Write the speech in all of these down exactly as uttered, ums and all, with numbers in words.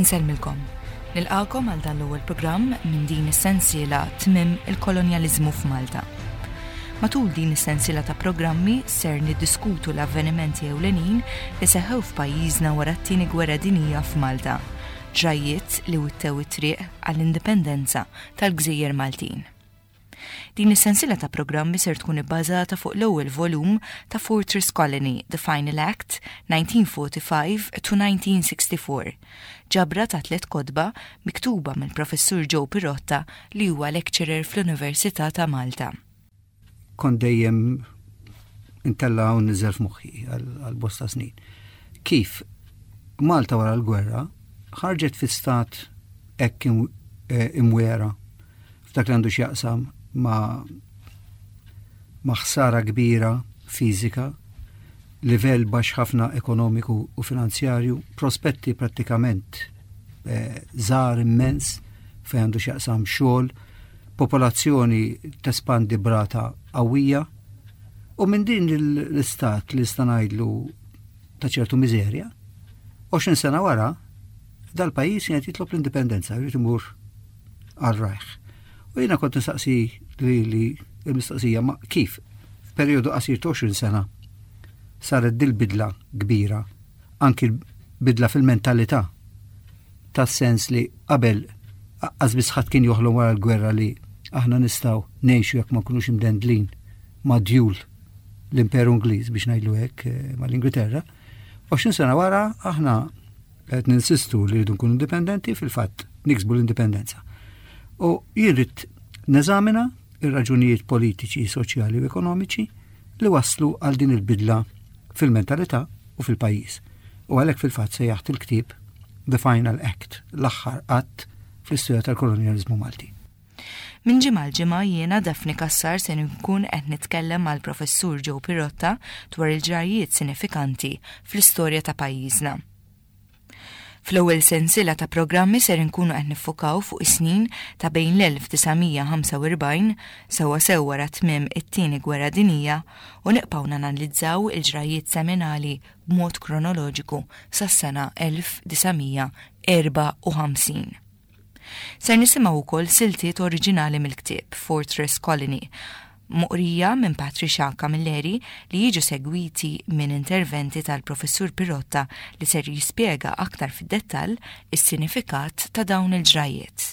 Insellmilkom. Nilqagħkom għal dan l-ewwel programm minn din is-sensiela Tmiem il-Kolonjaliżmu f'Malta. Matul din is-sensiela ta' programmi ser niddiskutu l-avvenimenti ewlenin li seħħew f'pajjiżna wara t-tieni gwerra dinjija f'Malta, ġrajiet li wittew it-triq għall-indipendenza tal-Gżejjer Maltin. Din is-sensiela ta' programmi ser tkun ibbażata fuq l-ewwel volum ta' Fortress Colony, The Final Act, nineteen forty-five to nineteen sixty-four. Ġabra ta' tliet kotba miktuba mill-Professur Joe Pirotta, li huwa lecturer fl-Università ta' Malta. Kont dejjem intella' u nniżżel f'moħħi għal bosta snin. Kif Malta wara l-gwerra ħarġet fi stat hekk eh, imwera f'dak li għandu x'jaqsam ma' ma' ħsara kbira fiżika, livell baxx ħafna ekonomiku u finanzjarju, prospetti prattikament eh, żgħar immens fejn għandu x'jaqsam xogħol, popolazzjoni tespandi b'rata qawwija, u minn din l-istat li nista' ngħidlu ta' ċertu miżerja, għoxrin sena wara, dal-pajjiż kien jitlob l-indipendenza, jrid imur għal rajh. U jiena kont nistaqsi li li il-mistoqsija ma kif f'perjodu qasir ta' għoxrin sena saret dil-bidla kbira, anki bidla fil-mentalità, tas-sens li qabel qas ħadd kien joħlom wara l-gwerra li aħna nistgħu ngħixu jekk ma nkunux imdendlin ma' djul l-Imperu Ingliż, biex ngħidlu hekk, eh, mal-Ingilterra. għoxrin sena wara aħna qed ninsistu li rridu nkunu indipendenti, fil-fatt niksbu l-indipendenza. U jien ridt neżamina ir-raġunijiet politiċi, soċjali u ekonomiċi li waslu għal din il-bidla fil-mentalità u fil-pajjiż. U għalhekk fil-fatt sejjaħt il-ktieb The Final Act, l-aħħar att fl-istorja tal-kolonjalizmu Malti. Minn ġimgħa l-ġimgħa jiena, Daphne Cassar, se nkun qed nitkellem mal-Professur Joe Pirotta dwar il-ġrajiet sinifikanti fl-istorja ta' pajjiżna. Fl-ewwel sensiela ta' programmi ser inkunu qed niffukaw fuq is-snin ta' bejn l-elf disa' mija ħamsa u erbgħin, sewwa sew wara tmiem it-tieni gwerra dinija, u nibqgħu nanalizzaw il-ġrajiet seminali b'mod kronoloġiku sas-sena elf disa' mija erbgħa u ħamsin. Ser nisimgħu wkoll siltiet oriġinali mill-ktieb Fortress Colony moqrija minn Patricia Camilleri, li jiġu segwiti minn interventi tal-Professur Pirotta li ser jispjega aktar fid-dettall is-sinifikat ta' dawn il-ġrajiet.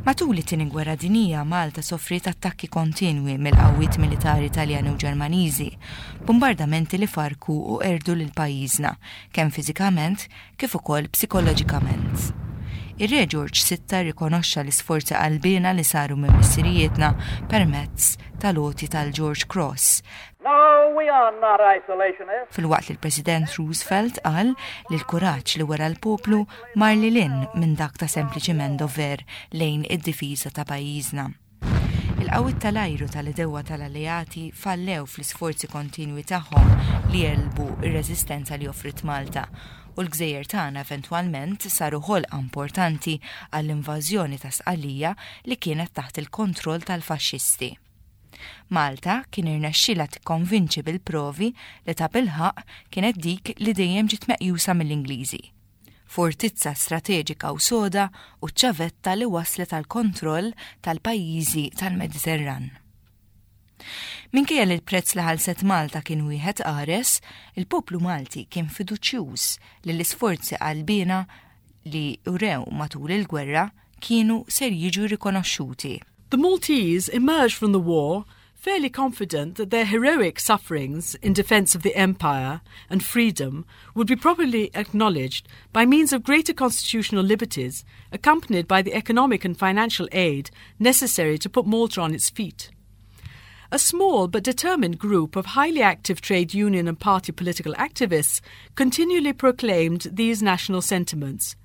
Matul it-tieni gwerra dinija, Malta soffriet attakki kontinwi mill-qawwiet militari Taljani u Ġermaniżi, bombardamenti li farku u qerdu lil pajjiżna kemm fiżikament kif ukoll psikoloġikament. Ir-Re George Sitta rikonoxxa l-isforzi qalbiena li saru minn missirijietna permezz tal-għoti tal-George Cross. No, we are not isolationists. Filwaqt li l-President Roosevelt qal li l-kuraġġ li wera l-poplu mar lil hinn minn dak ta' sempliċiment dover lejn id-difiża ta' pajjiżna. Il-qawwiet tal-ajru tal-għedewwa tal-alleati fallew fl-isforzi kontinwi tagħhom li jegħlbu ir-reżistenza li offrit Malta, u l-gżejjer tagħna eventwalment saru ħolqa importanti għall-invażjoni ta' Sqallija li kienet taħt il-kontroll tal-faxxisti. Malta kien irnexxila tikkonvinċi bil-provi li ta' bilħaq kienet dik li dejjem ġiet meqjusa mill-Ingliżi. Fortizza strateġika u soda u ċavetta li waslet għal kontroll tal-pajjiżi tal-Mediterran. Minkejja li l-prezz li ħalset Malta kien wieħed qares, il-poplu Malti kien fiduċjuż li l-isforzi qalbiena li urew matul il-gwerra kienu ser jiġu rikonoxxuti. The Maltese emerged from the war fairly confident that their heroic sufferings in defense of the empire and freedom would be properly acknowledged by means of greater constitutional liberties, accompanied by the economic and financial aid necessary to put Malta on its feet. A small but determined group of highly active trade union and party political activists continually proclaimed these national sentiments.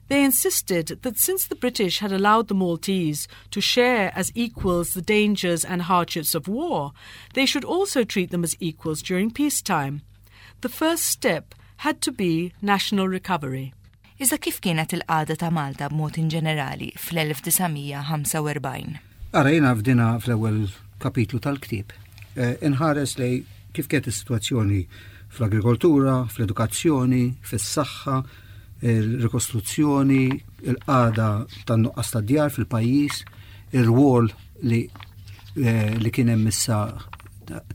They insisted that since the British had allowed the Maltese to share as equals the dangers and hardships of war, they should also treat them as equals during peacetime. The first step had to be national recovery. Iżda kif kienet il-qagħda ta' Malta b'mod in ġenerali fl-elf disa' mija ħamsa u erbgħin? Ara, jiena f'dina fl-ewwel kapitlu tal-ktieb Eh, inħares lej kif kienet is-sitwazzjoni fl-agrikoltura, fl-edukazzjoni, fis-saħħa, Il-rikostruzzjoni, il-qagħda tan-nuqqas ta' djar fil-pajjiż, ir-rwol li eh, li kien hemm issa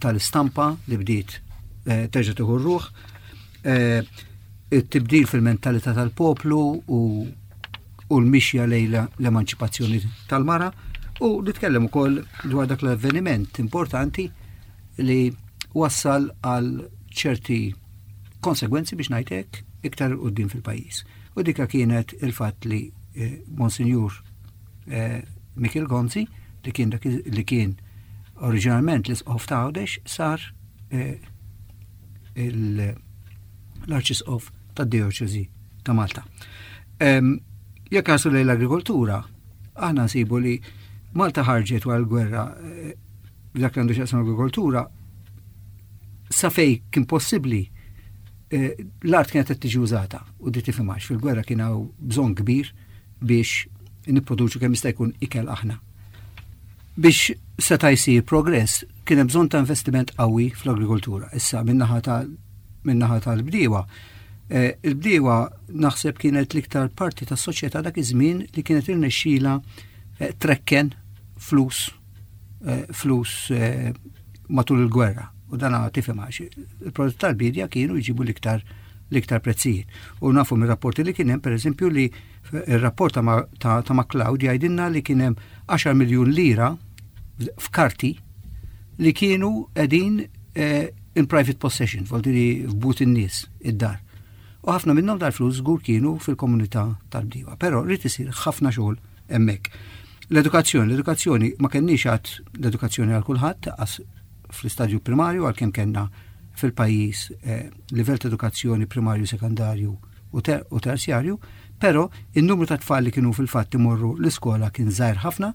tal-istampa li bdiet eh, terġa' tieħu r-ruħ, eh, it-tibdil fil-mentalità tal-poplu u u l-mixja lejn l-emanċipazzjoni tal-mara u nitkellem ukoll dwar dak l-avveniment importanti li wassal għal ċerti konsegwenzi, biex ngħidlek, iktar quddiem fil-pajjiż. U dika kienet il-fatt li eh, Monsinjur eh, Mikiel Gonzi, li kien dak li kien oriġinalment l-isqof ta' Għawdex, sar eh, l-arċisqof tad-dioċesi ta' Malta. Jekk inħarsu lejn l-agrikoltura, aħna nsibu li Malta ħarġet wara l-gwerra, eh, dak li għandu x'jaqsam agrikoltura, sa fej kien possibbli eh, l-art kienet qed tiġi użata u di tifhimx fil-gwerra kien hawn bżonn kbir biex nipproduċu kemm jista' jkun ikel aħna. Biex seta' jsir progress kien hemm bżonn ta' investiment qawwi fl-agrikoltura. Issa min-naħa ta' min-naħa tal-bdiewa. Eh, il-bdiewa naħseb kienet l-iktar parti tas soċjetà dak iż-żmien li kienet irnexxila eh, trekken flus eh, flus matul il-gwerra. U dan tifhem għax il-prodotti tal-bidja kienu jġibu l-iktar l-iktar prezzijiet. U nafu mir rapporti li kien hemm, pereżempju, li il-rapport ta', ta MacLeod jgħidilna li kien hemm għaxar miljun lira f'karti li kienu qegħdin in private possession, vuol f'but in-nies id-dar. U ħafna minnhom dal-flus żgur kienu fil-komunità tal-bdiewa, però rrid isir ħafna xogħol hemmhekk. L-edukazzjoni, l-edukazzjoni ma kenniex għad l-edukazzjoni għal kulħadd fl-istadju primarju, għalkemm kellna fil-pajjiż eh, livell ta' edukazzjoni primarju, sekondarju u, ter u terzjarju, però il-numru ta' tfal li kienu fil-fatt imorru l-iskola kien żgħir ħafna.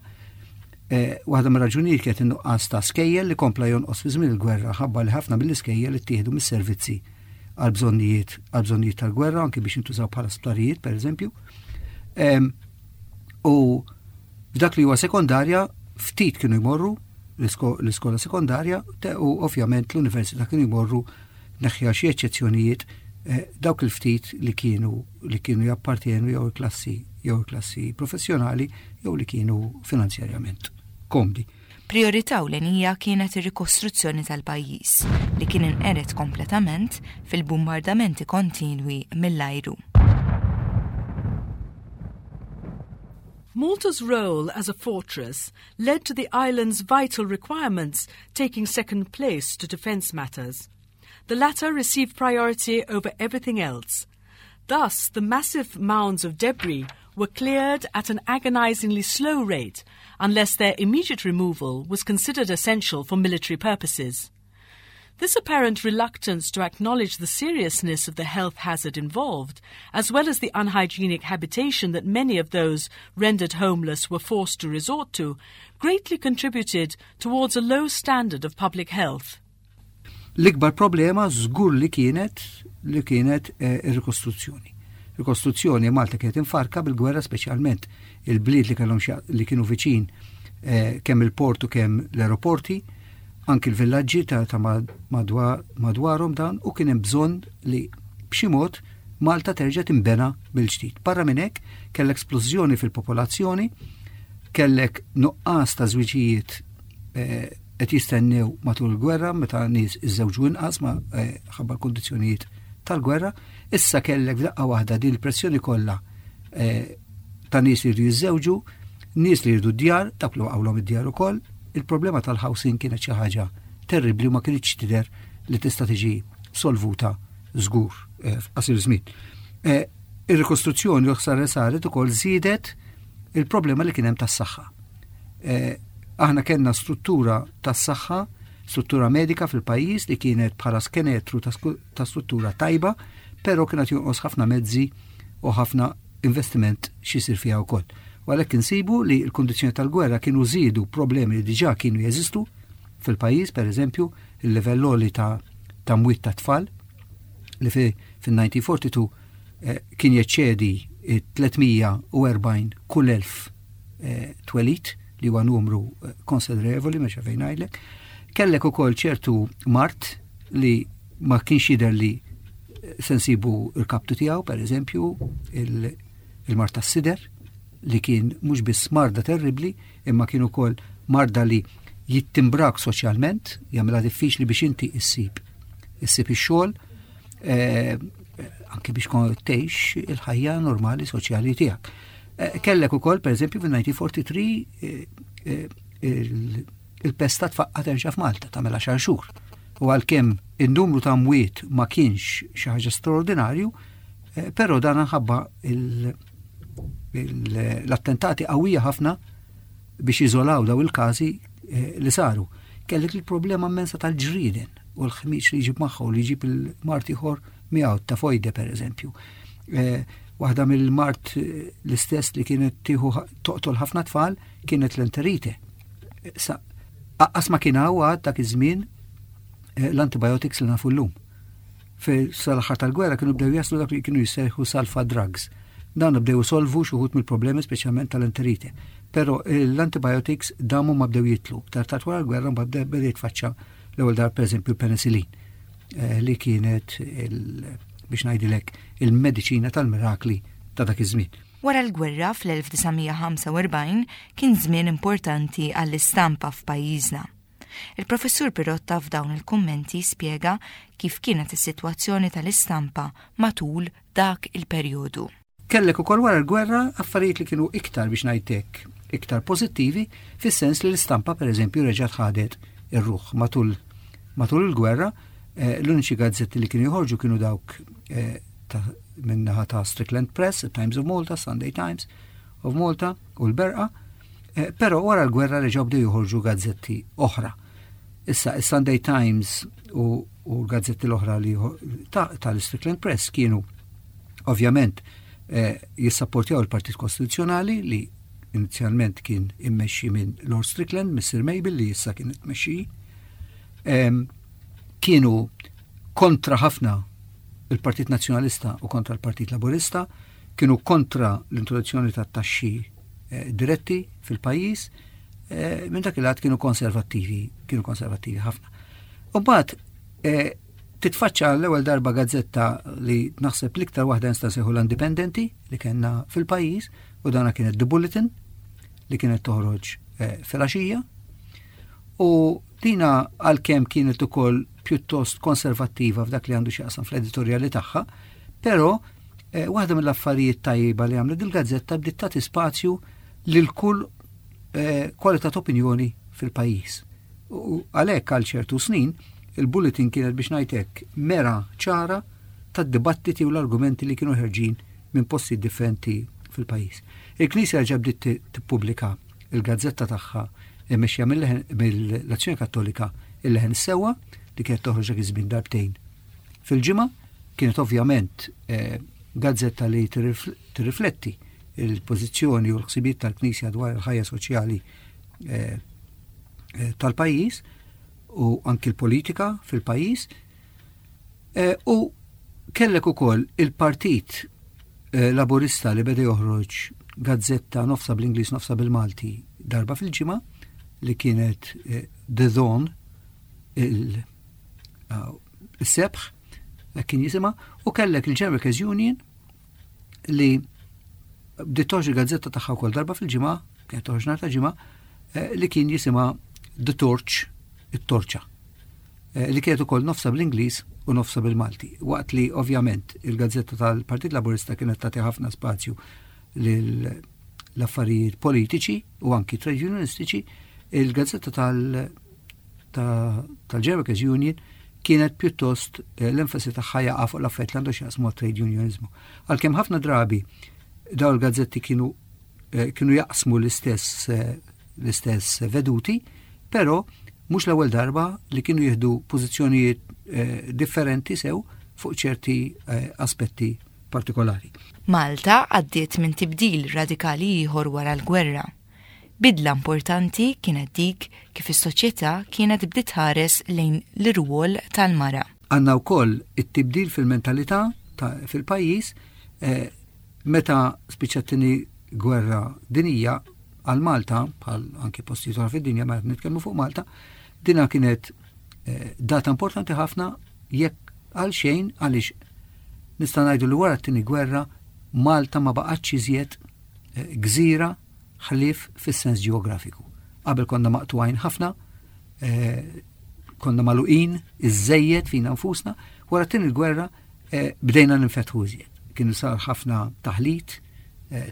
Eh, waħda mir-raġunijiet kienet in-nuqqas ta' skejjel li kompla jonqos fi żmien il-gwerra, ħabba li ħafna mill-iskejjel ittieħdu mis-servizzi għal bżonnijiet għal bżonnijiet tal-gwerra, anke biex jintużaw bħala sptarijiet, pereżempju. U f'dak li huwa sekondarja ftit kienu jmorru l-iskola sekondarja u ovvjament l-università kienu jmorru, neħħi xi eċċezzjonijiet, eh, dawk il-ftit li kienu li kienu jappartienu jew il-klassi jew il-klassi professjonali jew li kienu finanzjarjament komdi. Priorità ewlenija kienet ir-rikostruzzjoni tal-pajjiż li kien inqered kompletament fil-bombardamenti kontinwi mill-ajru. Malta's role as a fortress led to the island's vital requirements taking second place to defence matters. The latter received priority over everything else. Thus, the massive mounds of debris were cleared at an agonizingly slow rate unless their immediate removal was considered essential for military purposes. This apparent reluctance to acknowledge the seriousness of the health hazard involved, as well as the unhygienic habitation that many of those rendered homeless were forced to resort to, greatly contributed towards a low standard of public health. L-ikbar problema żgur li kienet li kienet eh, ir-rikostruzzjoni. Rikostruzzjoni, Malta kienet imfarka bil-gwerra, speċjalment il-bliet li kellhom li kienu viċin eh, kemm il-portu kemm l-aeroporti, anki l-villaġġi ta', ta madwarhom dan, u kien hemm bżonn li b'xi mod Malta terġa' timbena bil-ġdid. Barra minn hekk kellek splużjoni fil-popolazzjoni, kellek nuqqas ta' żwiġijiet eh, qed jistennew matul il-gwerra, meta nies iżżewġu inqas ma eh, ħabba l-kondizzjonijiet tal-gwerra, issa kellek f'daqqa waħda din il-pressjoni kollha eh, ta' nies li jridu jiżżewġu, nies li jridu d-djar, dak li waqgħulhom id-djar ukoll. Il-problema tal-housing kienet xi ħaġa terribli u ma kienx tidher li tista' tiġi solvuta żgur eh, f'qasir żmien. Eh, ir-rikostruzzjoni u ħsara saret ukoll żiedet il-problema li kien hemm tas-saħħa. Eh, aħna kellna struttura tas-saħħa, struttura medika fil-pajjiż li kienet bħala skenetru ta' struttura tajba, però kienet jonqos ħafna mezzi u ħafna investiment x'isir fiha wkoll. U għalhekk insibu li l-kundizzjoni tal-gwerra kienu żiedu problemi li diġà kienu jeżistu fil-pajjiż, per eżempju, il-livell għoli ta' ta' mwiet ta' tfal li fil-elf disa' mija u erbgħa u erbgħin eh, kien jeċċedi tliet mija u erbgħin kull elf eh, twelid, li huwa numru eh, konsiderevoli, meċa fejn ngħidlek. Kellek ukoll ċertu mard li ma kienx jidher li Se nsibu il-kaptu tiegħu, per eżempju, il-mard tas-sider, li kien mhux biss marda terribli, imma kien ukoll marda li jittimbrak soċjalment, jagħmilha diffiċli biex inti issib issib ix-xogħol, eh, anke biex tgħix il-ħajja normali soċjali tiegħek. Eh, kellek ukoll, per eżempju, fil-elf disa' mija u erbgħa u tletin eh, il-pesta tfaqqa terġa' f'Malta tagħmel għaxar xhur. U għalkemm in-numru ta' mwiet ma kienx xi ħaġa straordinarju, però dan ħabba l-attentati qawwija ħafna biex iżolaw daw il-każi li saru. Kellek il-problema immensa tal-ġrieden u l-ħmiġ li jġib magħha u li jġib il-mard ieħor miegħu, tifoide per eżempju. Waħda mill-mard l-istess li kienet tieħu toqtol ħafna tfal kienet l-enterite. Sa, anqas ma kien hawn dak iż-żmien l-antibiotics li nafu llum. Sal-aħħar tal-gwerra kienu bdew jaslu dak li kienu jissejħu sulfa drugs. Dan bdew solvu xi wħud mill-problemi, speċjalment tal-enterite. Però l-antibiotics damu ma bdew jitlu. Tard wara l-gwerra mbagħad bdew jitfaċċa l-ewwel dar, pereżempju, l-penicillin, li kienet, biex ngħidilek, il-mediċina tal-mirakli ta' dak iż-żmien. Wara l-gwerra fl-elf disa' mija u ħamsa u erbgħin kien żmien importanti għall-istampa f'pajjiżna. Il-professur Pirotta f'dawn il-kummenti spjega kif kienet is-sitwazzjoni tal-istampa matul dak il-perjodu. Kellek ukoll wara l-gwerra affarijiet li kienu iktar, biex ngħidlek, iktar pożittivi, fis-sens li l-istampa, pereżempju, reġgħet ħadet ir-ruħ. matul matul il-gwerra eh, l-uniċi gazzetti li kienu joħorġu kienu dawk eh, min-naħa ta' Strickland Press, Times of Malta, Sunday Times of Malta u l-Berqa, eh, però wara l-gwerra reġgħu bdew joħorġu gazzetti oħra. Issa, il-Sunday Times u, u l-gazzetti l-oħra li tal-Strickland Press kienu ovvjament eh, jissapportjaw il-Partit Kostituzzjonali, li inizjalment kien immexxi minn Lord Strickland, Mister Mabel, li issa kien tmexxi. Kienu kontra ħafna il-Partit Nazzjonalista u kontra l-Partit Laburista, kienu kontra l-introduzzjoni ta' taxxi eh, diretti fil-pajjiż, eh, minn dak il kienu konservattivi, kienu konservattivi ħafna. U mbagħad eh, titfaċċa l-ewwel darba gazzetta li naħseb l-iktar waħda nista' nsejħu l-indipendenti li kellna fil-pajjiż, u dana kienet The Bulletin, li kienet toħroġ eh, fil-għaxija. U dina, għalkemm kienet ukoll pjuttost konservattiva f'dak li għandu x'jaqsam fl-editorjali tagħha, però eh, waħda mill-affarijiet tajba li għamlet il-gazzetta, bdiet tagħti spazju lil kull eh, kwalità ta' opinjoni fil-pajjiż. U għalhekk għal ċertu snin il-Bulletin kienet, biex ngħidlek, mera ċara tad-dibattiti u l-argumenti li kienu ħerġin minn posti differenti fil-pajjiż. Il-Knisja ġa bdiet tippubblika il-gazzetta tagħha mmexxija mill-Azzjoni Kattolika, Il-Leħen Sewwa, li kienet toħroġ dak iż-żmien darbtejn fil-ġimgħa. Kienet ovvjament eh, gazzetta li tirrifletti il-pożizzjoni u l-ħsibiet tal-Knisja dwar il-ħajja soċjali eh, eh, tal-pajjiż u anki l-politika fil-pajjiż. U kellek ukoll il-Partit Laburista li beda joħroġ gazzetta nofsa bl-Ingliż, nofsa bil-Malti, darba fil-ġimgħa, li kienet The Dawn, il-sebħ kien jisimha, u kellek il-General Workers Union li bdiet toħroġ il-gazzetta tagħha wkoll darba fil-ġimgħa, kienet toħroġ nhar ta' Ġimgħa, eh, li kien jisimha The Torch, it-Torċa, eh, li kienet ukoll nofsa bl-Ingliż u nofsa bil-Malti. Waqt li ovvjament il-gazzetta tal-Partit Laburista kienet tagħti ħafna spazju l-affarijiet politiċi u anki trade unionistiċi, il-gazzetta tal- tal-General Workers Union kienet pjuttost eh, l-enfasi tagħha jaqa' fuq l-affarijiet li għandu x'jaqsmu trade unionizmu. Għalkemm ħafna drabi daw il-gazzetti kienu eh, kienu jaqsmu l-istess eh, l-istess veduti, però mhux l-ewwel darba li kienu jieħdu pożizzjonijiet differenti sew fuq ċerti aspetti partikolari. Malta għaddiet minn tibdil radikali ieħor wara l-gwerra. Bidla importanti kienet dik kif is-soċjetà kienet bdiet tħares lejn l-irwol tal-mara. Għandna wkoll it-tibdil fil-mentalità fil-pajjiż eh, meta spiċċat it-Tieni Gwerra Dinjija. Għal Malta, bħal anki postijiet oħra fid-dinja, ma nitkellmu fuq Malta, dina kienet eh, data importanti ħafna, jekk għal xejn għaliex Nista' ngħidu li wara t-tieni gwerra Malta ma baqgħetx iżjed eh, gżira ħlief fis-sens ġeografiku. Qabel konna maqtugħin ħafna, eh, konna magħluqin iżżejjed fina nfusna, wara t-tieni gwerra eh, bdejna ninfetħu iżjed. Kienu sar ħafna taħlit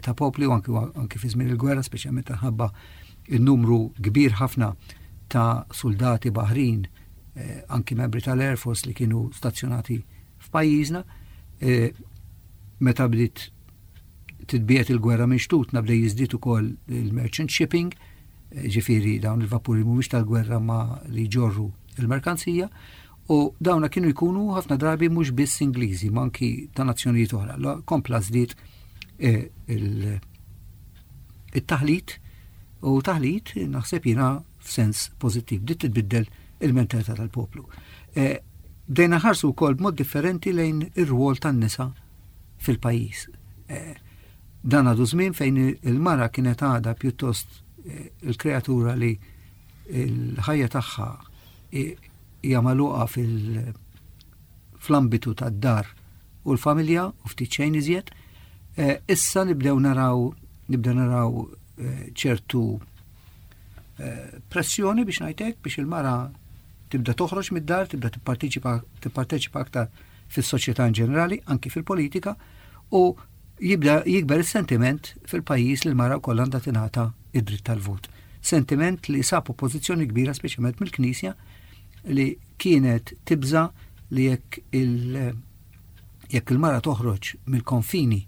ta' popli u anki, anki fi żmien il-gwerra, speċjalment minħabba il-numru kbir ħafna ta' soldati baħrin, anki membri tal-Air Force li kienu stazzjonati f'pajjiżna, meta bdiet titbiegħed il-gwerra minn xtutna bdew jiżdied ukoll il-merchant shipping, ġifieri dawn il-vapuri mhumiex tal-gwerra ma li jġorru il-merkanzija, u dawna kienu jkunu ħafna drabi mhux biss Ingliżi, ma anki ta' nazzjonijiet oħra. Kompla żdied il-taħlit u taħlit naħseb jiena f'sens pożittiv, bdiet titbiddel il-mentalità tal-poplu. Bdejna nħarsu wkoll b'mod differenti lejn ir-rwol tan-nisa fil-pajjiż. Dan għadu żmien fejn il-mara kienet għadha pjuttost il-kreatura li l-ħajja tagħha hija magħluqa fl-ambitu tad-dar u l-familja u ftit xejn iżjed. Issa nibdew naraw nibdew naraw ċertu pressjoni biex ngħidlek biex il-mara tibda toħroġ mid-dar, tibda tipparteċipa tipparteċipa aktar fis-soċjetà in ġenerali, anki fil-politika, u jibda jikber is-sentiment fil-pajjiż li l-mara wkoll għandha tingħata id-dritt tal-vot. Sentiment li sab oppożizzjoni kbira speċjalment mill-Knisja li kienet tibża li jekk il jekk il-mara toħroġ mill-konfini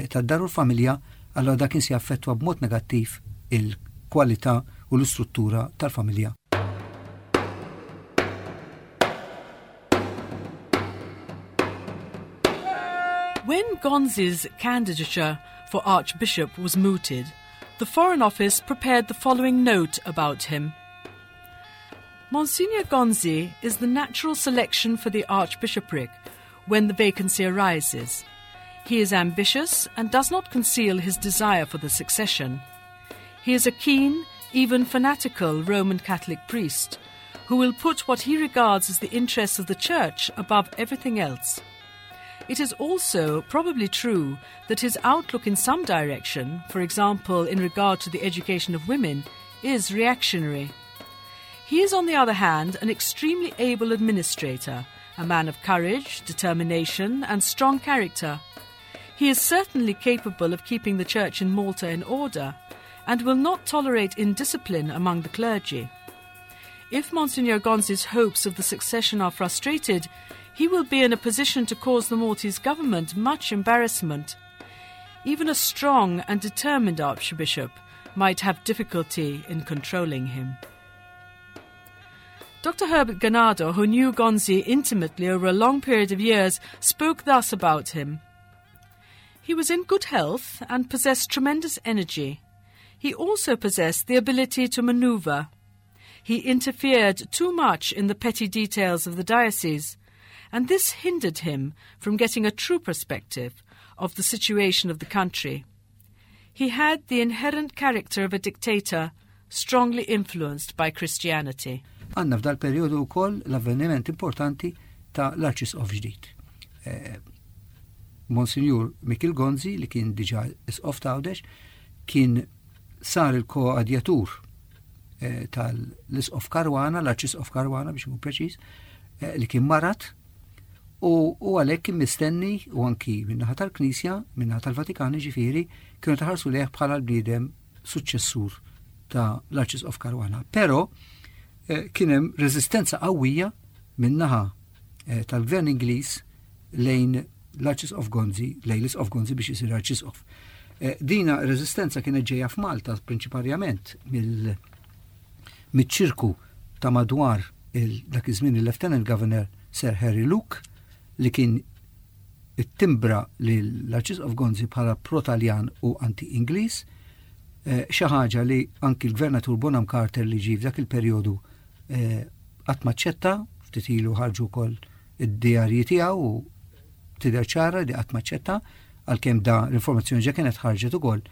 tad-dar u l-familja, allora dak kien se jaffettwa b'mod negattiv il-kwalità u l-istruttura tal-familja. When Gonzi's candidature for Archbishop was mooted, the Foreign Office prepared the following note about him. Monsignor Gonzi is the natural selection for the Archbishopric when the vacancy arises. He is ambitious and does not conceal his desire for the succession. He is a keen, even fanatical Roman Catholic priest who will put what he regards as the interests of the Church above everything else. It is also probably true that his outlook in some direction, for example in regard to the education of women, is reactionary. He is, on the other hand, an extremely able administrator, a man of courage, determination, and strong character. He is certainly capable of keeping the Church in Malta in order and will not tolerate indiscipline among the clergy. If Monsignor Gonzi's hopes of the succession are frustrated, he will be in a position to cause the Maltese government much embarrassment. Even a strong and determined archbishop might have difficulty in controlling him. Doctor Herbert Ganado, who knew Gonzi intimately over a long period of years, spoke thus about him. He was in good health and possessed tremendous energy. He also possessed the ability to maneuver. He interfered too much in the petty details of the diocese, and this hindered him from getting a true perspective of the situation of the country. He had the inherent character of a dictator, strongly influenced by Christianity. Għandna f'dal periodu wkoll l-avveniment importanti ta' l-Arċisqof ġdid. Eh, Monsignor Mikiel Gonzi, li kien diġà isqof ta' Għawdex, kien sar il-koadjatur eh, tal-isqof Caruana, l-Arċisqof Caruana biex nkun preċiż, eh, li kien marat, u, u għalhekk kien mistenni u anki min-naħa tal-Knisja, min-naħa tal-Vatikan ġifieri, kienu taħarsu lejh bħala l-bniedem suċċessur ta' l-Arċisqof Caruana. Però eh, kien hemm reżistenza qawwija min-naħa eh, tal-Gvern Ingliż lejn l-Arċisqof Gonzi, lejn l-Isqof Gonzi biex isir Arċisqof. Eh, dina reżistenza kienet ġejja f'Malta prinċiparjament mill miċ-ċirku ta' madwar dak iż-żmien il-Lieutenant Governor Sir Harry Luke, li kien ittimbra l-Arċisqof Gonzi bħala pro-Taljan u anti-Ingliż, eh, xi ħaġa li anki l-Gvernatur Bonham Carter li ġie f'dak il-perjodu qatt ma ċċetta, ftit ilu ħarġu wkoll id-djarji tiegħu u tidher ċara li qatt ma ċċetta, għalkemm da l-informazzjoni ġa kienet ħarġet ukoll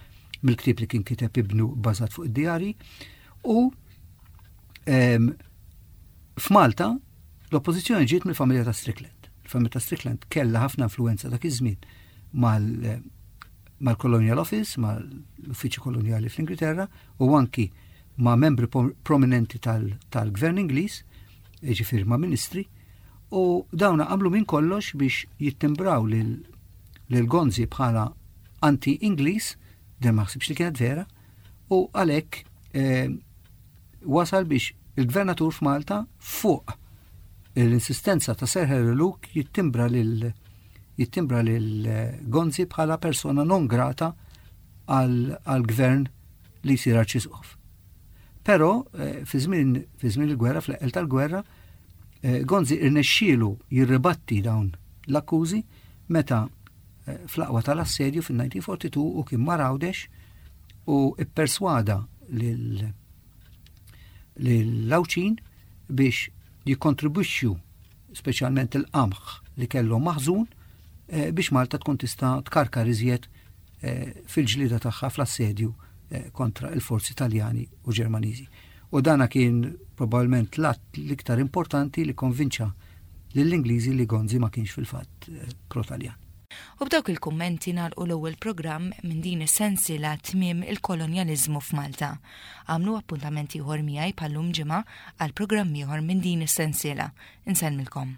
mill-ktieb li kien kiteb ibnu bbażat fuq id-djarji. U ehm, f'Malta l-oppożizzjoni ġiet mill-familja ta' Strickland. Il-familja ta' Strickland kellha ħafna influenza dak iż-żmien mal mal-Colonial Office, mal-Uffiċċju Kolonjali fl-Ingilterra u anki ma' membri prominenti tal-Gvern Ingliż, ġifieri ma' ministri, u dawna għamlu minn kollox biex jittimbraw lil Gonzi bħala anti-Ingliż, din ma ħsibx li kienet vera, u għalhekk eh, wasal biex il-gvernatur f'Malta, fuq l-insistenza ta' Sir Harry Luke, jittimbra lil jittimbra lil Gonzi bħala persona non grata għal-gvern li jsir arċisqof. Però eh, fi żmien il-gwerra, fl tal-gwerra, eh, Gonzi irnexxielu jirribatti dawn l-akkużi meta eh, fl-aqwa tal-assedju fil-elf disa' mija u erbgħa u erbgħin u kien mar Għawdex u ipperswada lil-Għawdxin biex jikkontribwixxu speċjalment il-qamħ li kellhom maħżun eh, biex Malta tkun tista' tkarkar iżjed eh, fil-ġlida tagħha fl-assedju eh, kontra il-forzi Taljani u Ġermaniżi. U dana kien probabbilment l-att l-iktar importanti li konvinċa lill-Ingliżi li Gonzi ma kienx fil-fatt pro-Taljan. U b'dawk il-kummenti nagħlqu l-ewwel programm minn din is-sensiela "Tmiem il-kolonjaliżmu f'Malta". Għamlu appuntament ieħor miegħi bħal-lum ġimgħa għal programm ieħor minn din is-sensiela. Insellmilkom.